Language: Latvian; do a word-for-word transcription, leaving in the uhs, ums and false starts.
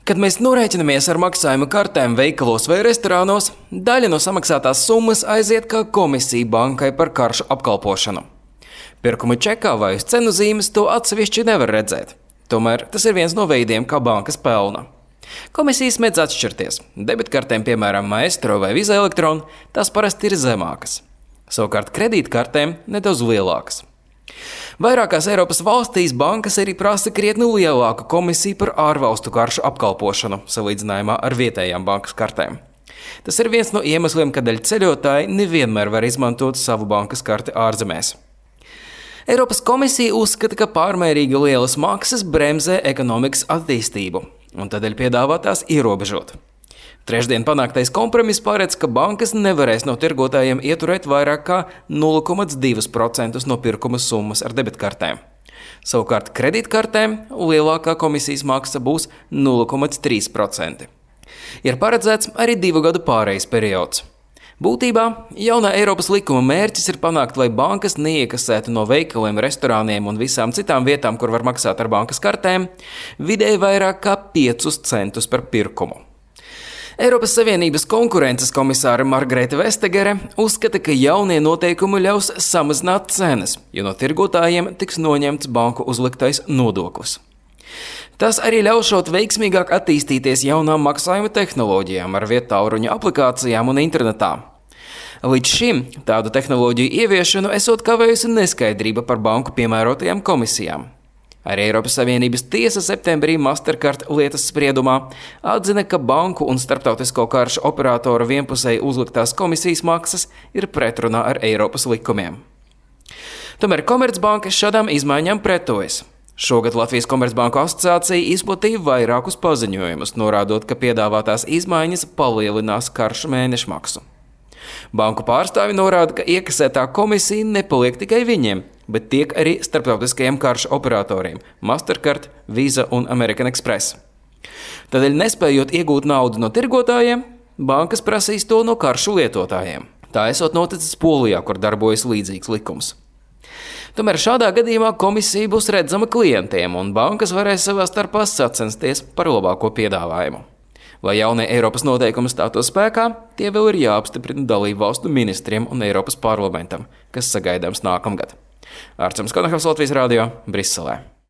Kad mēs norēķinamies ar maksājuma kartēm veikalos vai restorānos, daļa no samaksātās summas aiziet kā komisija bankai par karšu apkalpošanu. Pirkuma čekā vai uz cenu zīmes to atsevišķi nevar redzēt. Tomēr tas ir viens no veidiem, kā bankas pelna. Komisijas mēdz atšķirties. Debitkartēm, piemēram, Maestro vai Visa Electron, tās parasti ir zemākas. Savukārt kredītkartēm nedaudz lielākas. Vairākās Eiropas valstīs bankas arī prasa krietni lielāku komisiju par ārvalstu karšu apkalpošanu, salīdzinājumā ar vietējām bankas kartēm. Tas ir viens no iemesliem, kādēļ ceļotāji nevienmēr var izmantot savu bankas karti ārzemēs. Eiropas komisija uzskata, ka pārmērīgi lielas maksas bremzē ekonomikas attīstību, un tādēļ piedāvā tās ierobežot. Trešdien panāktais kompromiss paredz, ka bankas nevarēs no tirgotājiem ieturēt vairāk kā nulle komats divi procenti no pirkuma summas ar debitkartēm. Savukārt kredītkartēm lielākā komisijas maksa būs nulle komats trīs procenti. Ir paredzēts arī divu gadu pārejas periods. Būtībā jaunā Eiropas likuma mērķis ir panākt, lai bankas neiekasētu no veikaliem, restorāniem un visām citām vietām, kur var maksāt ar bankas kartēm, vidēji vairāk kā piecus centus par pirkumu. Eiropas Savienības konkurences komisāre Margarete Vestegere uzskata, ka jaunie noteikumi ļaus samazināt cenas, jo no tirgotājiem tiks noņemts banku uzliktais nodoklis. Tas arī ļaušot veiksmīgāk attīstīties jaunām maksājuma tehnoloģijām ar viedtālruņa aplikācijām un internetā. Līdz šim tādu tehnoloģiju ieviešanu esot kavējusi neskaidrība par banku piemērotajām komisijām. Arī Eiropas Savienības tiesa septembrī Mastercard lietas spriedumā atzina, ka banku un starptautisko karšu operatoru vienpusēji uzliktās komisijas maksas ir pretrunā ar Eiropas likumiem. Tomēr Komercbanka šādām izmaiņām pretojas. Šogad Latvijas Komercbanku asociācija izplatīja vairākus paziņojumus, norādot, ka piedāvātās izmaiņas palielinās karšu mēnešmaksu. Banku pārstāvi norāda, ka iekasētā komisija nepaliek tikai viņiem, bet tiek arī starptautiskajiem karšu operatoriem – Mastercard, Visa un American Express. Tādēļ, nespējot iegūt naudu no tirgotājiem, bankas prasīs to no karšu lietotājiem. Tā esot noticis Polijā, kur darbojas līdzīgs likums. Tomēr šādā gadījumā komisija būs redzama klientiem, un bankas varēs savā starpā sacensties par labāko piedāvājumu. Lai jaunie Eiropas noteikumi stātos spēkā, tie vēl ir jāapstiprina dalību valstu ministriem un Eiropas parlamentam, kas sagaidāms nākamgad. Ārčams Konahovs, Latvijas radio, Briselē.